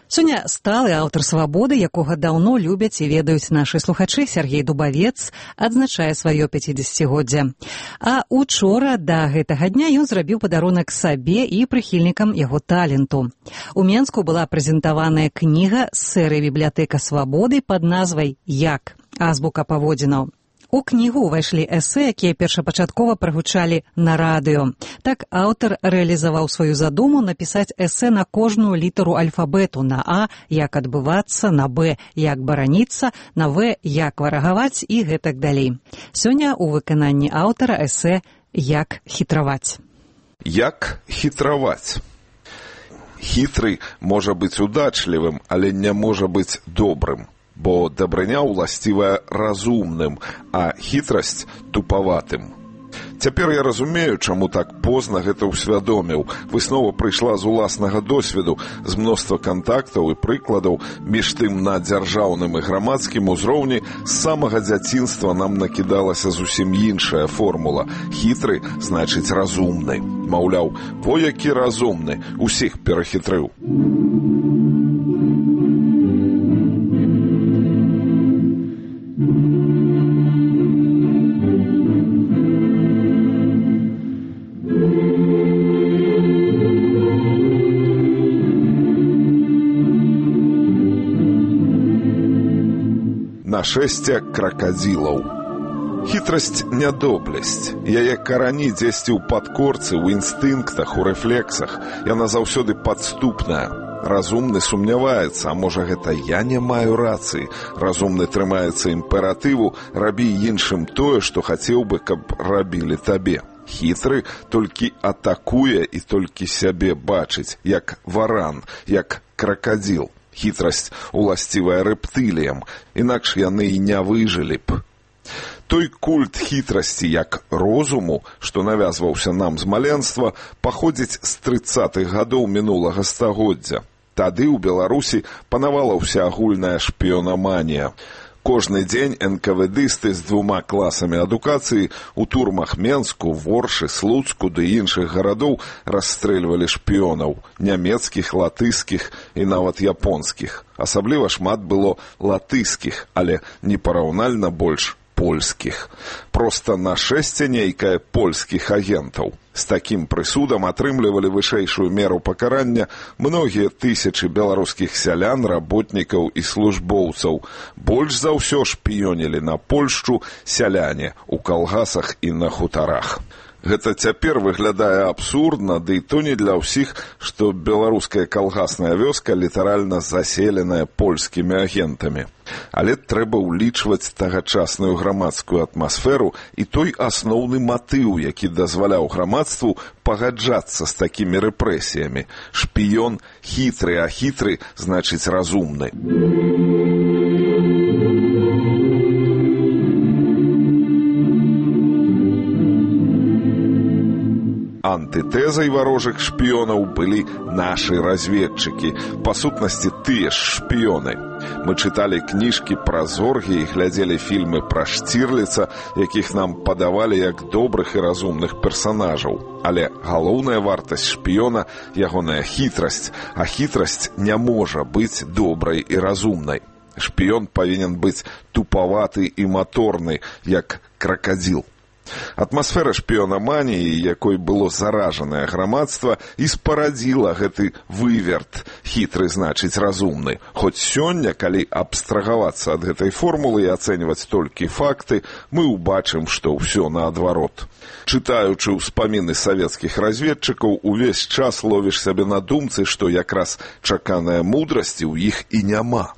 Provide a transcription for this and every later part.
Сёння сталы аўтар «Свабоды», якога даўно любяць і ведаюць нашы слухачы, Сергей Дубавец, адзначае сваё 50-годдзе. А учора да гэтага дня ён зрабіў падарунак сабе і прыхільнікам яго таленту. У Менску была прэзентаваная кніга з серыі «Бібліятэка Свабоды» пад назвай «Як? Азбука паводзінаў». У кнігу ўвайшлі эсэ, якія першапачаткова прагучалі на радыё. Так аўтар рэалізаваў сваю задуму напісаць эсэ на кожную літару альфабету. На А – як адбывацца, на Б – як бараніцца, на В – як варагаваць і гэтак далей. Сёння у выкананні аўтара эсэ «Як хітраваць». Як хітраваць? Хітры можа быць удачлівым, але не можа быць добрым. Бо дабрыня ўласцівая разумным, а хітрасць тупаватым. Цяпер я разумею, чаму так позна гэта ўсвядоміў. Выснова прыйшла з уласнага досведу, з мноства кантактаў і прыкладаў. Між тым на дзяржаўным і грамадскім узроўні з самага дзяцінства нам накідалася зусім іншая формула. Хітры значыць разумны. Маўляў, во які разумны, усіх перахітрыў. Нашэсце кракадзілаў. Хітрасць – нядобрасць. Яе карані дзесьці ў падкорцы, ў інстынктах, у рэфлексах. Яна заўсёды падступная. Разумны сумняваецца, а можа гэта я не маю рацыі. Разумны трымаецца імператыву, рабі іншым тое, што хацеў бы, каб рабілі табе. Хітры толькі атакуе і толькі сябе бачыць, як варан, як кракадзіл. Хітрасць уласцівая рэптыліям, інакш яны і не выжылі б. Той культ хітрасці як розуму, што навязваўся нам з маленства, паходзіць з 30-х гадоў мінулага стагоддзя. Тады ў Беларусі панавала ўсеагульная шпіёнаманія. Кожны дзень НКВДысты з 2 класамі адукацыі ў турмах Менску, Воршы, Слуцку ды іншых гарадоў расстрэльвалі шпіёнаў, нямецкіх, латыскіх і нават японскіх. Асабліва шмат было латыскіх, але непараўнальна больш польскіх. Проста нашэсце нейкае польскіх агентаў. З такім прысудам атрымлівалі вышэйшую меру пакарання многія тысячы беларускіх сялян, работнікаў і службоўцаў. Больш за ўсё шпіёнілі на Польшчу сяляне ў калгасах і на хутарах. Гэта цяпер выглядае абсурдна, ды і то не для ўсіх, што беларуская калгасная вёска літаральна заселеная польскімі агентамі. Але трэба ўлічваць тагачасную грамадскую атмасферу і той асноўны матыў, які дазваляў грамадству пагаджацца з такімі рэпрэсіямі. Шпіён хітры, а хітры значыць разумны. Антытэзай варожых шпіёнаў былі нашы разведчыкі, па сутнасці тыя ж шпіёны. Мы чыталі кніжкі пра зоргі і глядзелі фільмы пра Штірліца, якіх нам падавалі як добрых і разумных персанажаў. Але галоўная вартасць шпіёна – ягоная хітрасць, а хітрасць не можа быць добрай і разумнай. Шпіён павінен быць тупаваты і маторны, як кракадзіл. Атмасфера шпіёнаманіі, якой было заражанае грамадства, і спарадзіла гэты выверт. Хітры значыць разумны. Хоць сёння, калі абстрагавацца ад гэтай формулы і ацэньваць толькі факты, мы ўбачым, што ўсё наадварот. Чытаючы ўспаміны савецкіх разведчыкаў, увесь час ловіш сябе на думцы, што якраз чаканая мудрасці ў іх і няма.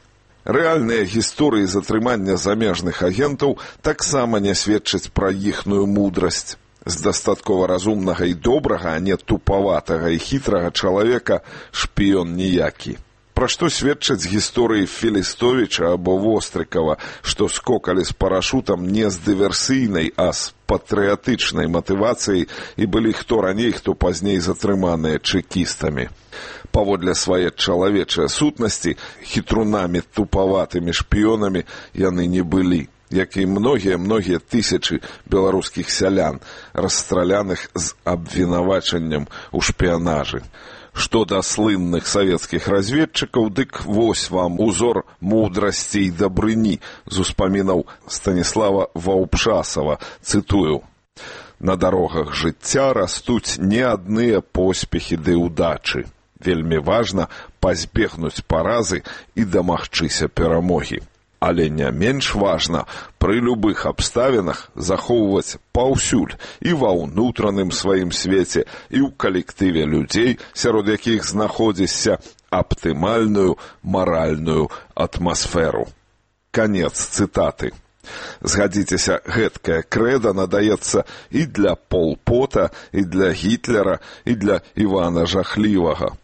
Рэальныя гісторыі затрымання замежных агентаў таксама не сведчаць пра іхную мудрасць. З дастаткова разумнага і добрага, а не тупаватага і хітрага чалавека шпіён ніякі. Пра што сведчаць гісторыі Філістовіча або Вострыкава, што скокалі з парашутам не з дыверсійнай, а з патрыятычнай матывацыяй і былі хто раней, хто пазней затрыманыя чэкістамі. Паводле свае чалавечыя сутнасці, хітрунамі тупаватымі шпіёнамі яны не былі, як і многія тысячы беларускіх сялян, расстраляных з абвінавачаннем у шпіянажы. Што да слынных савецкіх разведчыкаў, дык вось вам узор мудрасці і дабрыні з успамінаў Станіслава Ваўпшасава, цытую: «На дарогах жыцця растуць не адныя поспехі ды ўдачы. Вельмі важна пазбегнуць паразы і дамагчыся перамогі. Але не менш важна пры любых абставінах захоўваць паўсюль і ва ўнутраным сваім свеце, і ў калектыве людзей, сярод якіх знаходзішся, аптымальную маральную атмасферу». Канец цытаты. Згадзіцеся, гэткае крэда надаецца і для Пол Пота, і для Гітлера, і для Івана Жахлівага.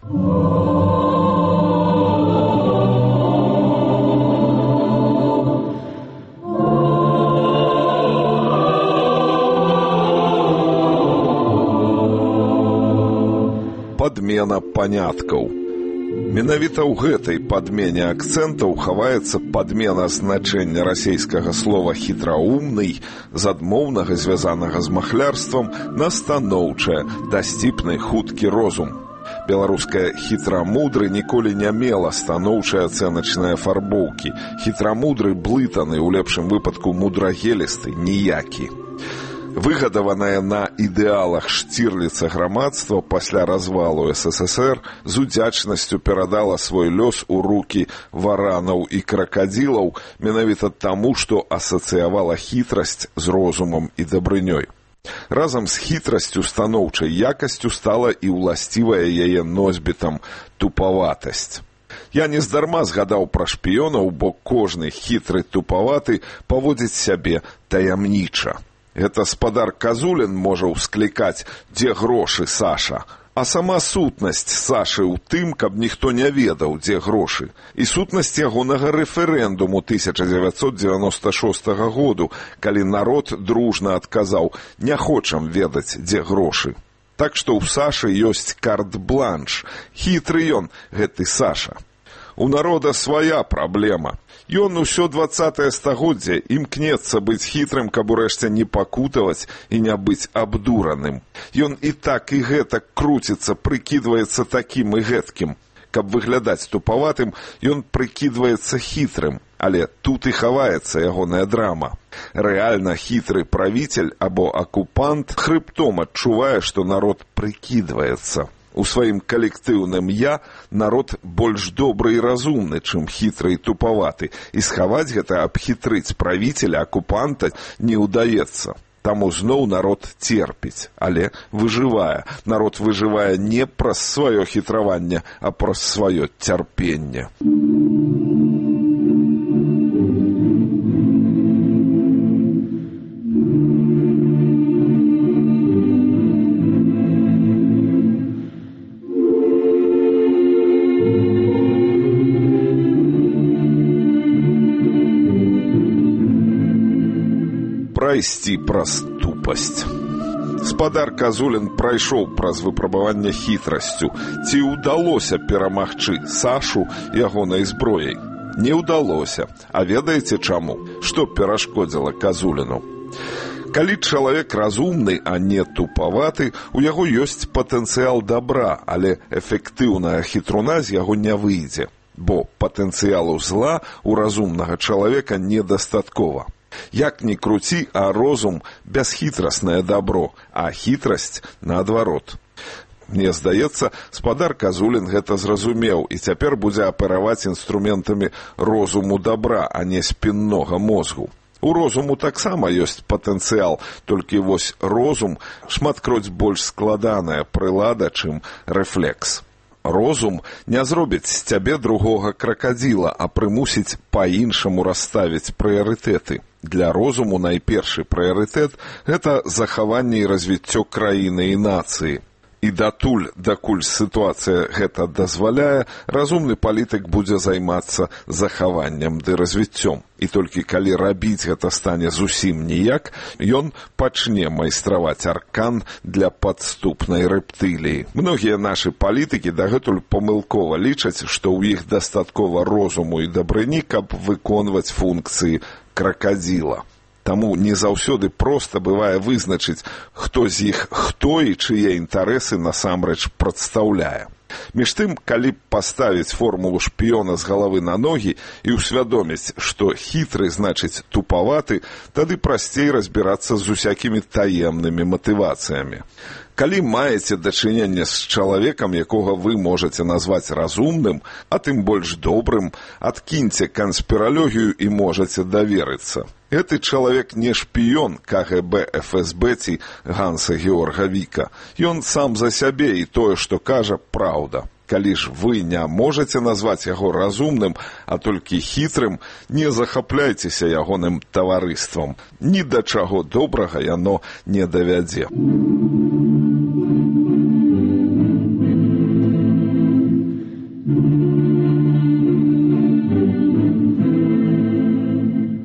Падмена паняткаў. Менавіта ў гэтай падмене акцэнтаў хаваецца падмена значэння расейскага слова «хітраумны» з адмоўнага, звязанага з махлярствам, на станоўчае, дасціпны, хуткі розум. Беларускае «хітрамудры» ніколі не мела станоўчай ацэначнай афарбоўкі. Хітрамудры блытаны, у лепшым выпадку мудрагелісты, ніякі. Выгадаванае на ідэалах Штірліца грамадства пасля развалу СССР з удзячнасцю перадала свой лёс у рукі варанаў і кракадзілаў менавіта таму, што асацыявала хітрасць з розумам і дабрынёй. Разам з хітрасцю станоўчай якасцю стала і ўласцівая яе носьбітам тупаватасць. Я нездарма згадаў пра шпіёнаў, бо кожны хітры тупаваты паводзіць сябе таямніча. Гэта спадар Казулін можа ўсклікаць «Дзе грошы, Саша?», а сама сутнасць Сашы ў тым, каб ніхто не ведаў, дзе грошы. І сутнасць ягонага рэферэндуму 1996 году, калі народ дружна адказаў «Не хочам ведаць, дзе грошы». Так што ў Сашы ёсць карт-бланш. Хітры ён, гэты Саша. У народа свая праблема. Ён усё 20-е стагоддзе імкнецца быць хітрым, каб урэшце не пакутаваць і не быць абдураным. Ён і так і гэтак круціцца, прыкідваецца такім і гэткім. Каб выглядаць тупаватым, ён прыкідваецца хітрым, але тут і хаваецца ягоная драма. Рэальна хітры правіцель або акупант хрыбтом адчувае, што народ прыкідваецца. У сваім калектыўным «я» народ больш добры і разумны, чым хітры і тупаваты, і схаваць гэта, абхітрыць правіцеля, акупанта не ўдаецца. Таму зноў народ церпіць, але выжывае. Народ выжывае не праз сваё хітраванне, а праз сваё цярпенне. Прайсці праз тупасць. Спадар Казулін прайшоў праз выпрабаванне хітрасцю. Ці ўдалося перамагчы Сашу ягонай зброяй? Не ўдалося. А ведаеце чаму? Што перашкодзіла Казуліну? Калі чалавек разумны, а не тупаваты, у яго ёсць патэнцыял дабра, але эфектыўная хітруна з яго не выйдзе. Бо патэнцыялу зла у разумнага чалавека недастаткова. Як ні круці, а розум – бясхітраснае дабро, а хітрасць – наадварот. Мне здаецца, спадар Казулін гэта зразумеў і цяпер будзе апераваць інструментамі розуму дабра, а не спіннога мозгу. У розуму таксама ёсць патэнцыял, толькі вось розум шматкроць больш складаная прылада, чым рэфлекс. Розум не зробіць з цябе другога кракадзіла, а прымусіць па-іншаму расставіць прыярытэты. Для розуму найпершы прыярытэт – гэта захаванне і развіццё краіны і нацыі. І датуль, дакуль сітуацыя гэта дазваляе, разумны палітык будзе займацца захаваннем ды развіццём. І толькі калі рабіць гэта стане зусім ніяк, ён пачне майстраваць аркан для падступнай рэптыліі. Многія нашы палітыкі дагэтуль памылкова лічаць, што ў іх дастаткова розуму і дабрыні, каб выконваць функцыі кракадзіла. Таму не заўсёды проста бывае вызначыць, хто з іх хто і чые інтарэсы насамрэч прадстаўляе. Між тым, калі б паставіць формулу шпіёна з галавы на ногі і ўсвядоміць, што хітры значыць тупаваты, тады прасцей разбірацца з усякімі таемнымі матывацыямі. Калі маеце дачыненне з чалавекам, якога вы можаце назваць разумным, а тым больш добрым, адкіньце канспіралогію і можаце даверыцца. Гэты чалавек не шпіён КГБ, ФСБ ці Ганса Георга Віка. Ён сам за сябе і тое, што кажа, праўда. Калі ж вы не можаце назваць яго разумным, а толькі хітрым, не захапляйцеся ягоным таварыствам. Ні да чаго добрага яно не давядзе.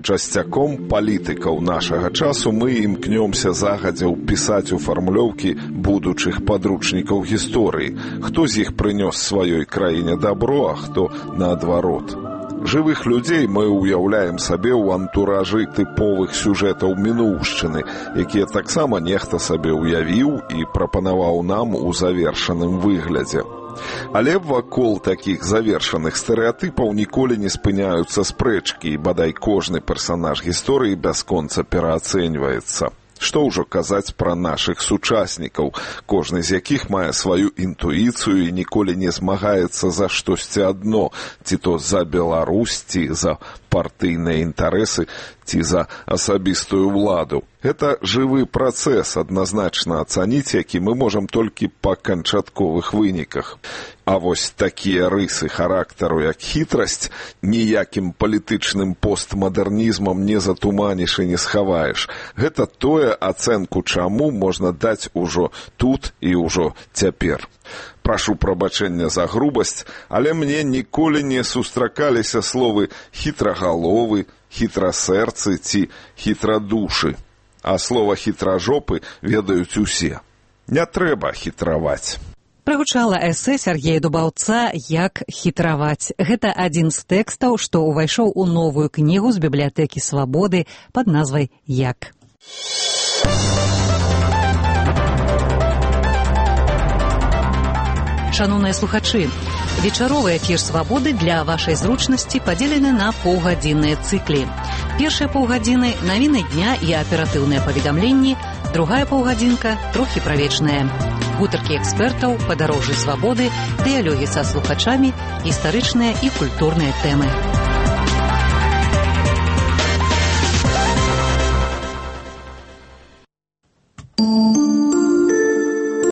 Часцяком палітыкаў нашага часу мы імкнёмся загадзя ўпісаць у фармулёўкі будучых падручнікаў гісторыі, хто з іх прынёс сваёй краіне дабро, а хто наадварот. Жывых людзей мы ўяўляем сабе ў антуражы тыповых сюжэтаў мінуўшчыны, якія таксама нехта сабе ўявіў і прапанаваў нам у завершаным выглядзе. Але вакол такіх завершаных стэрэатыпаў ніколі не спыняюцца спрэчкі, і бадай кожны персанаж гісторыі бясконца пераацэньваецца. Што ўжо казаць пра нашых сучаснікаў, кожны з якіх мае сваю інтуіцыю і ніколі не змагаецца за штосьці адно, ці то за Беларусь, ці за партыйныя інтарэсы, ці за асабістую ўладу. Гэта жывы працэс, адназначна ацаніць, які мы можам толькі па канчатковых выніках. А вось такія рысы характару, як хітрасць, ніякім палітычным постмадэрнізмам не затуманіш і не схаваеш. Гэта тое, ацэнку чаму можна даць ужо тут і ўжо цяпер. Прашу прабачэння за грубасць, але мне ніколі не сустракаліся словы хітрагаловы, хітрасэрцы ці хітрадушы. А слова хітражопы ведаюць усе. Не трэба хітраваць. Прагучала эсэ Сяргея Дубаўца «Як хітраваць». Гэта адзін з тэкстаў, што ўвайшоў у новую кнігу з бібліятэкі Свабоды пад назвай «Як». Шановныя слухачы, вечаровы эфір «Свабоды» для вашай зручнасці падзелены на паўгадзінныя цыклі. Першыя паўгадзіны – навіны дня і аператыўныя паведамленні, другая паўгадзінка – трохі пра вечнае. Гутаркі экспертаў, падарожжы свабоды, дыялогі са слухачамі, гістарычныя і культурныя тэмы.